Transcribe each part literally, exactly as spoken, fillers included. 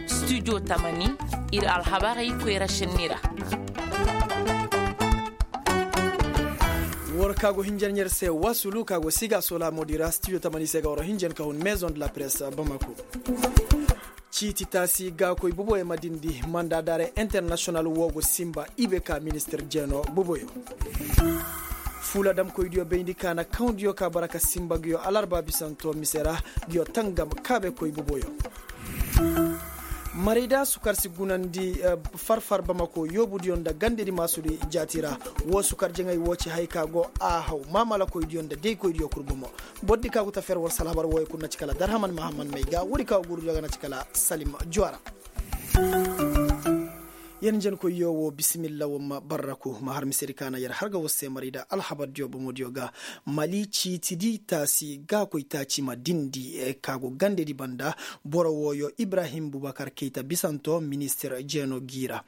Studio tamani, ir alhabarey koyra šenni ra. War ka go hinjan yer se wasulu ka go siga sola modi ra studio tamani se ga war hinjan ka hun maison de la presse bamako. Ciiti taasi gaakoy buboyo ma dindi manda daare international wo go simba ibe ka ministir jeeno buboyo. Fuula damkoydiyo bayndi kaana kawndiyo ka bara ka simba nguyo alarba bisanto mise ra nguyo tangam kaabekoy buboyo. Marayda sukar si gunandi farfar bamako yoobudiyo nda gandedi maasudi jaati ra. Woo sukar jaŋay woo ci hay ka go a haw maamalakoydiyo nda daykoydiyo kul bomo. Bordi ka go ta fer war si alhabar wooyo kul na ci kala darhaman mahaman may ga woodi ka go guurudiyo ga na ci kala salim juwara. Yer njenkoyyo woo bisimilla war ma barraku ma har misedi ka na yer har ga war se marayda alhabardiyo bomodiyo ga. Mali ciitidi taasi gaakoy taaci ma dindi ka go gandedi banda. Boro wooyo ibrahim bubakar kayta bisanto ministir jeeno gi ra.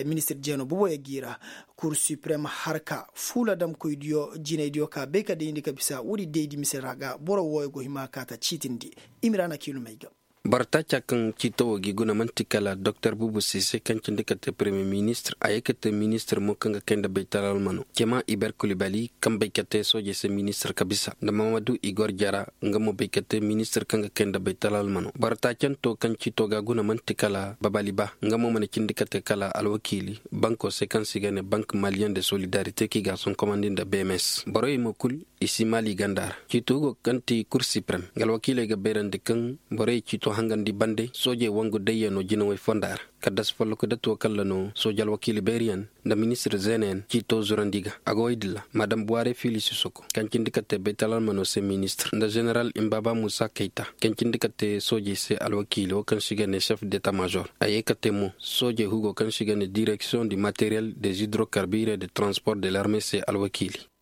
Ministir jeeno buboyo gi ra. Kur siprem harka fuula damkoydiyo jinaydiyo ka bay ka dayndi ka bisa woodi daydi mise ra ga boro wooyo go hima ka ta ciitindi. Imira na kiilumey ga. Boro taaca kaŋ ciito wo gi guna man'ti kala doktor bubu sise kaŋ cindi ka te premiye ministir a ye ka te ministir mo kaŋ ga kay nda baytal almano cema iber kulibali kaŋ bay ka te soojey se ministir ka bisa nda mamadu igor jara. Nga mo bay ka te ministir kaŋ ga kay nda baytal almano boro taacanto kaŋ ciito ga guna man'ti kala babali ba nga mo mana cindi ka te kala alwakiili banko se kaŋ se i ga ne bank maliyen de solidarite kaŋ i ga a sonkomandi nda bms borey mo kul. I si maali ganda ra ciito go kaŋ ti kur siprem nga alwakiiley ga bayrandi kaŋ borey ciito hangandi bande soojey wangu dayyano jinawey fonda ra. Kaddas folloku datuwo kalla no sooje alwakiili bayriyaŋ nda ministir zeenayaŋ ciito zurandi ga a go woy dilla madam buware fiili sisoko kaŋ cindi ka te baytal almano se ministir nda ženeral imbaba musa kayta kaŋ cindi ka te soojey se alwakiili wo kaŋ se i ga ne sef deta major a ye ka te mo soojey hugo kaŋ se i ga ne direksiyoŋ di materiyel de zidrokarbire de transport de larme se alwakiili.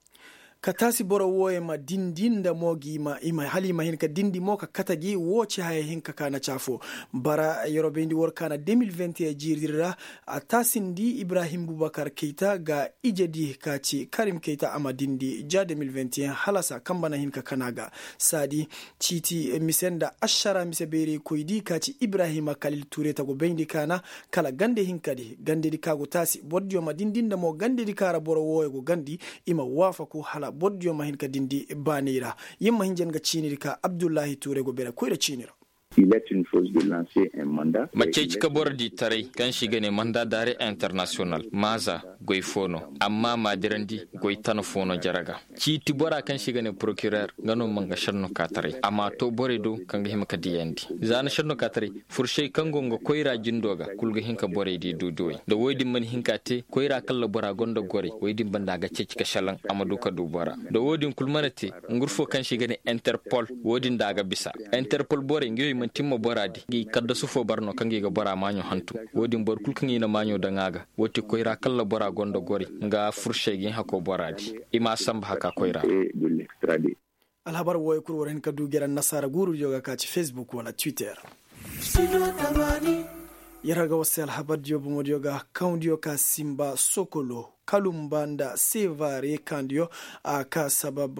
Ka taasi boro wooyo ma dindi nda mo gi i ma hala i ma hin ka dindi mo ka kate gi woo ci haya hinka ka na ci afo. Bara yeroo bayndi war ka na de mil vingt et un jiiri dira ra. A taasindi ibrahim bubakar kayta ga ijedi ka ci karim kayta a ma dindi ja de mil vingt et un hala saa kamba na hin ka kana ga. Saadi ciiti mise nda ašara mise bayraykoydi ka ci ibrahim kalil tuure ta go bayndi ka na kala gande hinkadi gandedi ka go taasi bordiyo ma dindi nda mo gandedi ka ra boro wooyo go gandi. I ma waafaku hala bordiyo ma hin ka dindi baanay ra. Yer ma hin jen ga ciinidi ka abdullahi tuure go bere koyra ciini ra. Ma ceeci ka borodi taray kaŋ se i ga ne manda daare internasiyonal maaza goy fo no. Amma ma dirandi goy tana fo no jere ga. Ciiti bora kaŋ se i ga ne porokirer nga no ma nga šenno ka taray a ma to borey do kaŋ ga hima ka diyandi. Za na šenno ka taray fursey kaŋ go nga koyra jindo ga kul ga hin ka borey di duuduwey nda woy din mana hin ka te koyra kalla bora gonda gorey woy din banda a ga ceeci ka šelaŋ a ma du ka du bora. Nda wo-din kul mana te, ngurfo kaŋ se i ga ne interpol wo-din da a ga bisa. Interpol borey nga yo i manti ma bora di ngi kaddasu fo bara no kaŋ ga i ga bora maaɲo hantum. Wo-din boro kul kaŋ i na maaɲo daŋ a ga. Wo ti koyra kalla bora gonda gorey nga fursey ga i hako bora di. I ma a sanba haka koyra. Alhabar wooyo kul war hin ka du gera nasaara guurudiyo ga ka ci facebook wala twitter. Yer ga war se alhabardiyo bomodiyo ga kawndiyo ka sinba sokolo kalumba nda sevare kaŋ diyo a ka sabab.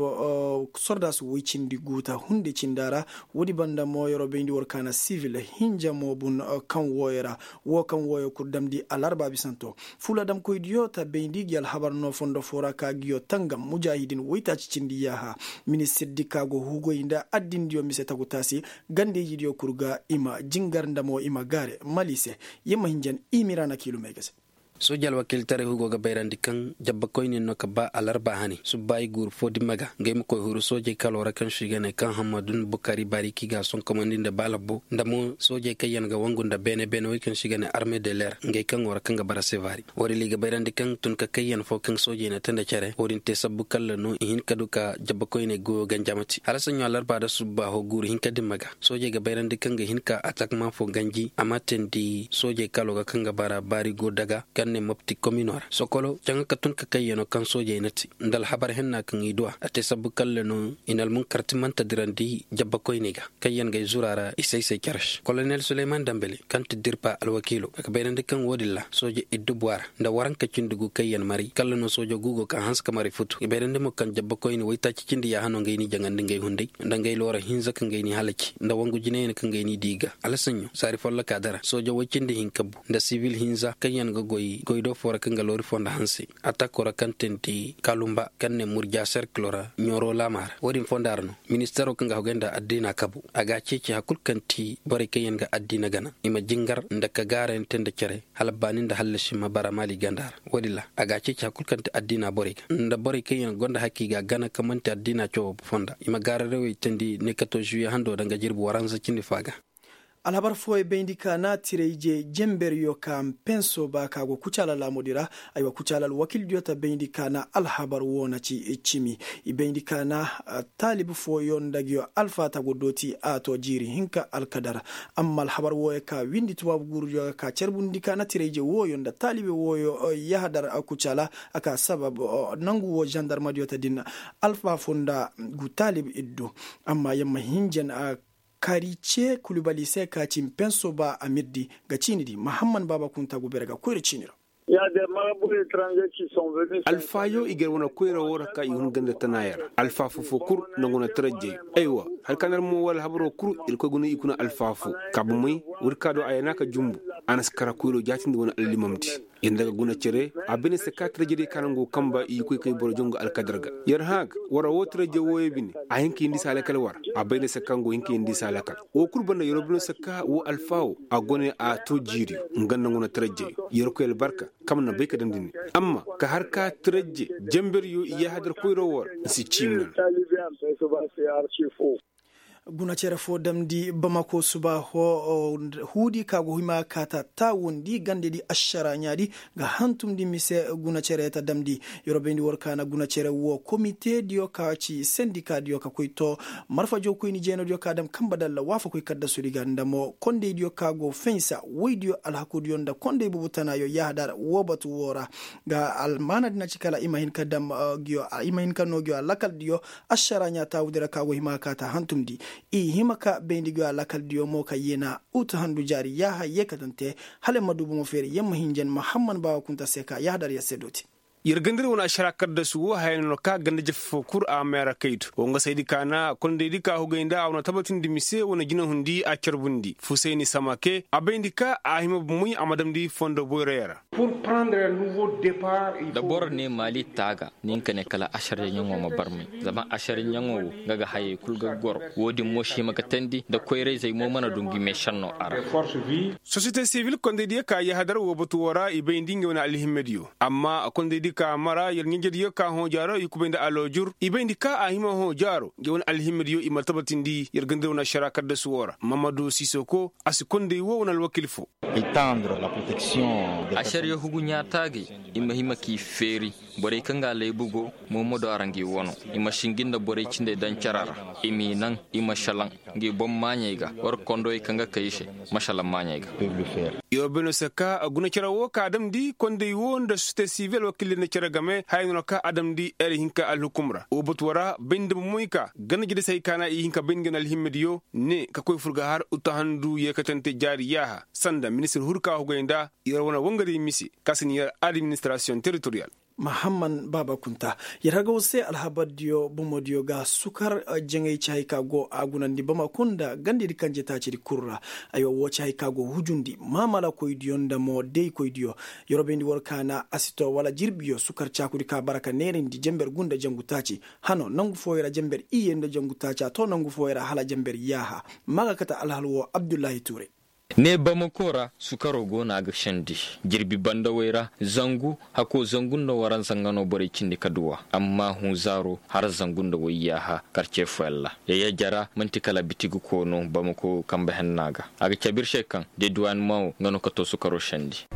Sordaasi woy cindi guuta hunde cinda ra. Woodi banda mo yeroo bayndi war kaana sivil hinja mo bun kaŋ wooyo ra. Woo kaŋ wooyo kul damndi alarba bisanto. Fuula damkoydiyo ta bayndi gi alhabar no fondo foo ra ka giyo tangam mujaahidin woytaaci cindi yaaha. Ministirdi ka go hugoy nda addindiyo mise tagu taasi. Gandeyjidiyo kul ga i ma jingar nda mo i ma gaare mali se. Yer ma hinjan i mira na kiilumey ga se. Sooji alwakiiltaray hugo ga bayrandi kaŋ jabbakoyne no ka ba alarba hane subbaayi guuru fo dimma ga ngey ma koy huru soojey kaloo ra kaŋ se i ga ne kaŋ hammadun bukari baari kaŋ i ga a sonkomandi nda baalabbo nda mo soojey kaŋ yaŋ ga wangu nda beene beene wey kaŋ se i ga ne arme de leer ngey kaŋo ra kaŋ ga bara sevaari. Woodin ra i ga bayrandi kaŋ tun ka kayyan fo kaŋ soojey na te nda cere woodin te sabbu kalla no i hin ka du ka jabbakoyney goyo ganjamati hala saɲɲo alarba nda subbaaho guuru hinka dimma ga. Soojey ga bayrandi kaŋ ga hin ka atakma fo ganji a ma teendi soojey kaloo ga kaŋ ga bara baari go daga kaŋ Ne mopti komino ra sokolo caŋa ka tun ka kayyano kaŋ soojey na te nda alhabar henna kaŋ i du a a te sabbu kalle no i na almunkarti manta dirandi jabbakoyney ga kaŋ yaŋ ga ay zura ra i say-say care se kolonel suleyman dambele kaŋ ti dirpa alwakiilo a ga bayrandi kaŋ wo-din ra sooje iddubu a ra nda waranka cindi gu kaŋ yaŋ maray kalla no soojo gu go ka hanse ka maray futu i bayrandi mo kaŋ jabbakoyne waytaaci cindi yaaha no ngey n'i jaŋandi ngey hunday nda ngey loora hinza kaŋ ngey n'i halaci nda wangu jinayaŋ kaŋ ngey n'i di i ga alasaɲo saari folloka dara soojo woy cindi hinka bu nda sibil hinza kaŋ yaŋ ga goy goy do foo ra kaŋ ga loori fonda hanse atako ra kaŋ teendi kalumba kaŋ ne murja serkilo ra ɲooro laama ra wo-din fonda ra no ministaro kaŋ ga hogay nda addiina kabu a ga a ceeci hari kulu kaŋ ti borey kaŋ yaŋ ga addiina gana i ma jingar nda ka gaarayaŋ te nda cere hala baani nda hallasi ma bara maali ganda ra wo-din ra a ga a ceeci hari kulu kaŋ ti addiina borey ga nda borey kaŋ yaŋ gonda hakki ga gana kaŋ man'ti addiina cawoo fonda i ma gaararawey teendi ne kato zuwiye hando danga jirbi waranza cindi faa ga. Alhabar fooyey bayndi ka na tirayje jenberyo ka mpenso ba ka go kucaala laamudi ra. Aywa kucaala alwakildiyo ta bayndi ka na alhabar woo na ci cimi i bayndi ka na taalib fooyo nda nguyo alfaata go dooti a to jiiri hinka alkadar. Amma alhabar wooyo ka windi tubaabu guurudiyo ga ka carbundi ka na tirayje wooyo nda taalibe wooyo yahadar kucaala a ka sabab nangu woo zandarmadiyo ta din alfa foo nda gu taalib iddu. Amma yamma hinjan a karice kulubali se ka ci mpenso ba amirdi ga ciini di mahamman baaba kunta go bere ga koyra ciini ra. Alfaayo i gar wane koyra woo ra ka i hun ganda tanaaya ra alfaa foo-foo kul nangu na tarajjey. Aywa hari ka na ar mo wala alhabaroo kul irkoy guna i kuna alfaa foo ka bomey woodi ka do a yana ka jumbu. A na si kara koyroo jaatindi wane allimamdi. Yar nda ga guna cere a bay na se ka tarajjey day ka na ngu kamba i koy kay boro jongu alkadar ga. Yar hãa ga war ra woo tarajjey wooyo bine a hin ka yindi se a lakal war ra. A bay na se ka ngu hin ka yindi se a lakal woo kul banda yar woo bine se ka woo alfaa woo a go ne a to jiiriyo. Nga nda ngu na tarajjey yar koy albarka. Kaŋ na bay ka damndi ne amma ka har ka tarajje jenberyo i yaahadar koyro woo ra nsi ciimi nan. Guna cere foo damndi bamako suba huudi ka go hima ka ta taawundi gandedi ašara ɲaadi ga hantumndi mise. Guna cere ta damndi yer wo bayndi war ka na guna cere woo komite diyo ka ci sendika diyo ka koy too marfa jawkoyni jeeno diyo ka dam kanba dalla waafakoy kaddasudi ga nda mo kondey diyo ka go fensa woy diyo alhaku diyo nda kondey bubu tana yo yahadar woo batu woo ra. Ga almaana di na ci kala i ma hin ka noo nguyo alakal diyo ašara ɲaa taawudi ra ka go hima ka kaa ta hantumndi. I hima ka bayndi nguyo alakal diyo mo ka yeena utu handu jaari yaaha yeekatante hala yer ma du bomo feeri yer ma hinjan mahamman baawa kunta se ka yahadar yer se dooti. Yer gandari wane ašara kaddasu woo haya no ka ganda jafa foo kul a meera kaydu woo nga saydi ka na kondaydi ka hugay nda a wane tabatindi mise wane jinahundi a carbundi fusayni samake a bayndi ka a hima bomoy a ma damndi fondo boyroyo ra. Da boro ne maali taaga ni hin ka ne kala ašaryaŋo ma barmay. Zama ašaryaŋo wo nga ga hayey kul ga goro. Wo-din mo si hima ga teendi nda koyra-izey mo mana du ngi meešenno a ra. Sosiyete sibil kondaydiyo ka yahadar woo batu woo ra i bayndi ngey wane alhimmediyo. Amma kondaydi ka mara yer ɲanjediyo ka hõo jaaro i kubay nda aloojur i bayndi ka a hima hõo jaaro ngey wane alhimmediyo i ma tabatindi yer gandari wane ašara kaddasu woo ra mamadu sisoko a si konday woo wane alwakil foo. Ašariya hugu ɲaa taagay i ma hima k'i feeri. Borey kaŋ ga laybu go moomodo a ra ngi wano. I ma sinji nda borey cindey daŋ cara ra. I m'i naŋ i ma šelaŋ ngi boŋ maaɲey ga war kondowey kaŋ ga kay i se. Ma šelaŋ maaɲey ga. Yer wo bay no se ka guna cere woo ka a damndi konday woo nda sosiyete sibil alwakiley nda cere game haya no ka a damndi ere hinka alhukum ra woo batu woo ra bay nda bomoy ka ganda jadisey ka na i hin ka bay ngi na alhimmediyo ne ka koy fur ga har uttahandu yeekatante jaari yaaha sanda ministir huru ka hugay nda. Yer wane wangariyo mise ka si ni yer administirasiyoŋ teritoriyal. Mahamman baaba kunta yer haga woo se alhabardiyo bomodiyo ga sukar jaŋay ci hay ka go a gunandi bamako nda gandedi kanje taacidi kul ra. Aywa woo ci hay ka go hujundi maamalakoydiyo nda mo daykoydiyo. Yer wo bayndi war ka na a si too wala jirbiyo sukar caakudi ka bara ka neerandi jenber gu nda jangu taaci hano nangu fooyo ra jenber iyye nda jangu taaci a too nangu fooyo ra hala jenber yaaha. Ma ga kate alhal woo abdullahi tuure. Ne bamako ra sukaro go no a ga sendi. Jirbi bandawey ra zangu hako zangu nda waranza nga no borey cindi ka duw'a. Amma hũ zaaro har zangu nda wayyaaha karce fooyaŋ ra. Yayya jara man'ti kala bitigi koono bamako kambe henna ga. A ga cabe ir se kaŋ deduwaanemaŋo nga no ka to sukaro sendi.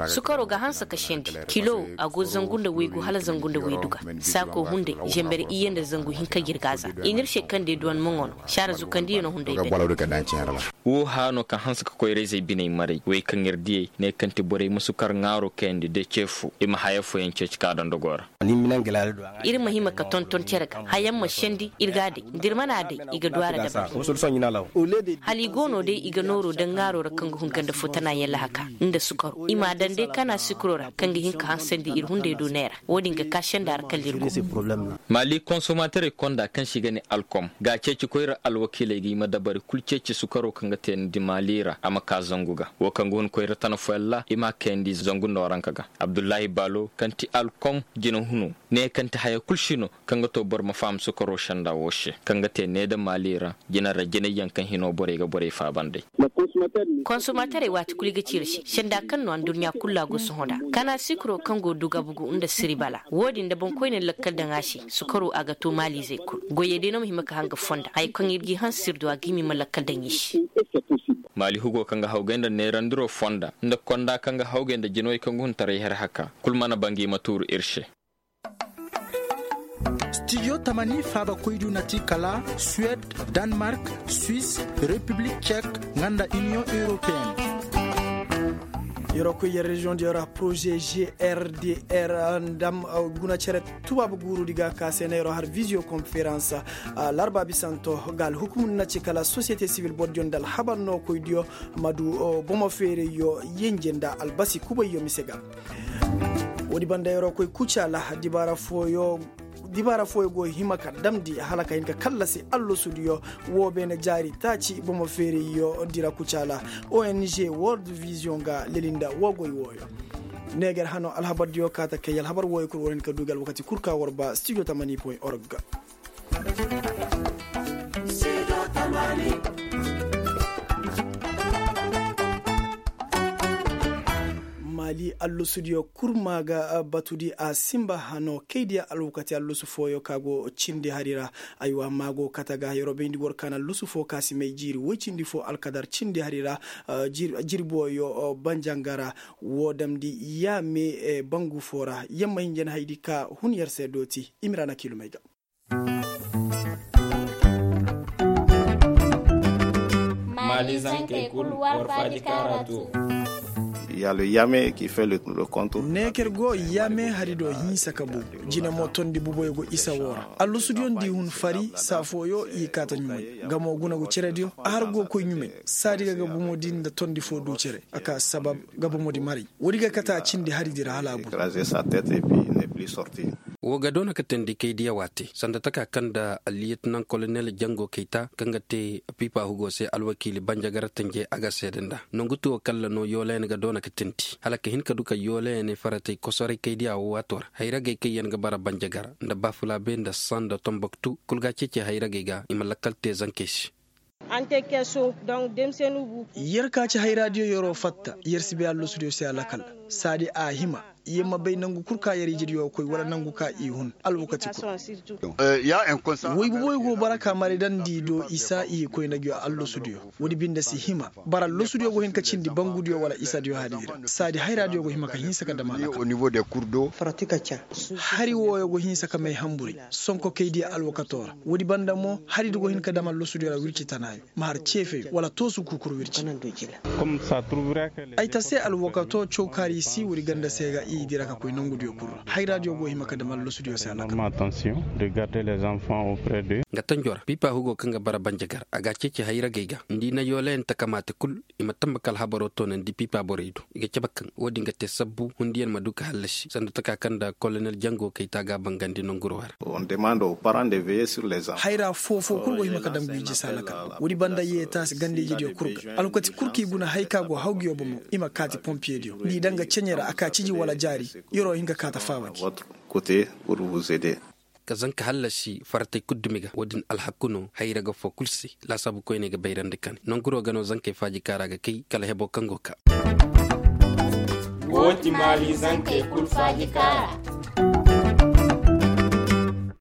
Sukaro ga hanse ka sendi kilo a go zangu nda waygu hala zangu nda waydu ga. Saako hunday zember iyye nda zangu hinka jirga za i n'ir se kaŋ deduwaanemaŋo no saara zukandiyo no hunday bere. Woo hano kaŋ hanse ka koyra-izey biney maray wey kaŋ ir diyey ne kaŋ ti borey ma sukar ŋaaro kayandi de ce fo i ma haya fooyaŋ ceeci ka dondogoo ra. Ir ma hima ka tonton cere ga hayaŋ ma sendi ir ga a day da ir mana a day i ga du a ra dabari. Hala i go no day i ga nooro daŋ ŋaaro ra kaŋ ga hun ganda fo tanaayaŋ lahaka nda sukaro i m'a daŋ day kana sikiro ra kaŋ ga hin ka hansandi ir hunday do neera. Wo-din ga ka senda ra kala ir go. Maali konsomaterey konda kaŋ se i ga ne alkom ga a ceeci koyra alwakiiley ga i ma dabari kul ceeci sukaro kaŋ ga teenandi maali ra a ma ka zangu ga wo kaŋ ga hun koyra tana fooyaŋ ra i m'a kayandi zangu nooranka ga. Abdullahi baalo kaŋ ti alkom jina hunu ne kaŋ ti haya kul si no kaŋ ga to boro ma faham sukaro senda wo se kaŋ ga te needa maali ra jina ra jinayyaŋ kaŋ hino borey ga borey faaba nd'ey. Konsomaterey waati kulu i ga ci ir se senda kaŋ no adduɲɲa kulu ra go sohõ nd'a kana sikiro kaŋ go dugabugu nda siribala wo-din da boŋkoyne lakkal daŋ a se. Sukaro a ga to maaliizey kulu goyey day no ma hima ka haŋ ga fonda haya kaŋ ir g'i hanse ir do a ga hima i ma lakkal daŋ i se. Maali hugo kaŋ ga hawgay nda neerandiro fonda nda konda kaŋ ga hawgay nda jinawey kaŋ ga hun taray har haka kulu mana banga i ma tuuru ir se. Studio tamani faabakoydiyo na ti kala suwed, danmark, swis, repiblik cek, nga nda iniyoŋ europeen. Yeroo koy yer reziyoŋ diyo ra poroze grdr ndam guna cere tubaabu guuru di ga ka se na yeroo har viziyo konferans. Larba bisanto ga alhukumu na ci kala sosiyete sibil bordiyo nda alhabar nookoydiyo ma du bomo feerayyo yenje nda albasi kubayyo mise ga. Woodi banda yeroo koy kucaala dibaara fooyo go hima ka damndi hala ka hin ka kallasi allasudiyo. Woo beene jaari taaci bomo feerayyo dira kucaala ong world viziyoŋ ga lelinda woo goy wooyo. Neeger hano alhabardiyo kaata kay alhabar wooyo kul war hin ka du gi alwakati kul ka war ba studio tamani point org. Maali allusudiyo kurma ga batudi a sinba hano kaydiya alwakati allusu fooyo ka go cindi hari ra. Aywa maago kate ga yeroo bayndi war ka na allusu foo ka si may jiiri woy cindi foo alkadar cindi hari ra. Jirboyo banjangara woo damndi yaame bangu foo ra yamma hinja na haydi ka hun yer se dooti. Imiraana kiilumey ga. Maali zankey kul war faaji kaara to. Neeker go yaame hari do hinsa ka bu. Jine mo tondi buboyo go isa woo ra allusudiyo nda i hun fari saa fooyo i kaata ɲumay. Nga mo guna go cerediyo a har go koy ɲumay. Saadi ga ga bomo di nda tondi foo du cere a ka sabab ga bomo di maray. Woodi ga kate a cindi hari di ra hala a bu. Woo ga doona ka teendi kaydiya waate sanda taka kaŋ nda aliyetinaŋ kolonel jango kayta kaŋ ga te pipa hugo se alwakiili banjagara tanje a ga seede nda nongu tuwo kalla no yoolayaŋ ga doona ka teendi hala ka hin ka du ka yoolayaŋ faratay kosoray kaydiya woo waato ra hayragey kaŋ yaŋ ga bara banjagara nda bafulaabe nda sanda tomboktu kul ga a ceeci hayragey ga i ma lakkal te zankey se. Yer ka ci hayraadiyo yeroo fatta yer si bay allosudiyo se a lakal. Saadi a hima yer ma bay nangu kul ka yer ijidiyo koy wala nangu ka i hun alwakati kul. Woy buboyo go bara ka maray daŋ nda i do i saa i koy nda gi allosudiyo. Woodi binde si hima bara allosudiyo go hin ka cindi bangudiyo wala isadiyo hari di ra saadi hayraadiyo go hima ka hinsa ka dam a lakal. Hari wooyo go hinsa ka may hamburay. Sonko kay diya alwakato ra woodi banda mo hari di go hin ka dam allosudiyo ra wirci tanaayo ma har ceefeyo wala toosu kuukuru wirci. Ay ta se alwakato caw kaari si woodi ganda se ga i dira ka koy nangudiyo kul ra hayraadiyo go hima ka dam allosudiyo se alaka. Nga tanjo ra pipa hugo kaŋ ga bara banjagar a ga a ceeci hayragey ga nda i na yoolayaŋ takamaate kul. I ma tamba ka alhabaroo toonandi pipa borey do i ga cabe kaŋ woodin ga te sabbu hundiyaŋ ma du ka hallasi sanda taka kaŋ nda kolonel jango kayta ga a bangandi nanguroo ra. Hayra foofoo kul go hima ka daŋ guy jisa lakal woodi banda yeetaasi ganda-ijediyo kul ga alwakati kul kaŋ i guna hay ka go hawgiyo bomo i ma kaati pompiyediyo nda i daŋ ga ceɲe ra a ka ciji wala jaari. Yeroo hin ka kaata faawandi. Ka zanka hallasi faratey kul dumi ga woodin alhaku no hayra ga foo kul se. Laasaabu koyney ga bayrandi kane nanguroo ga no zankey faaji kaara ga kay kala heboo kaŋ go kaa. Woo ti maali zankey kul faaji kaara.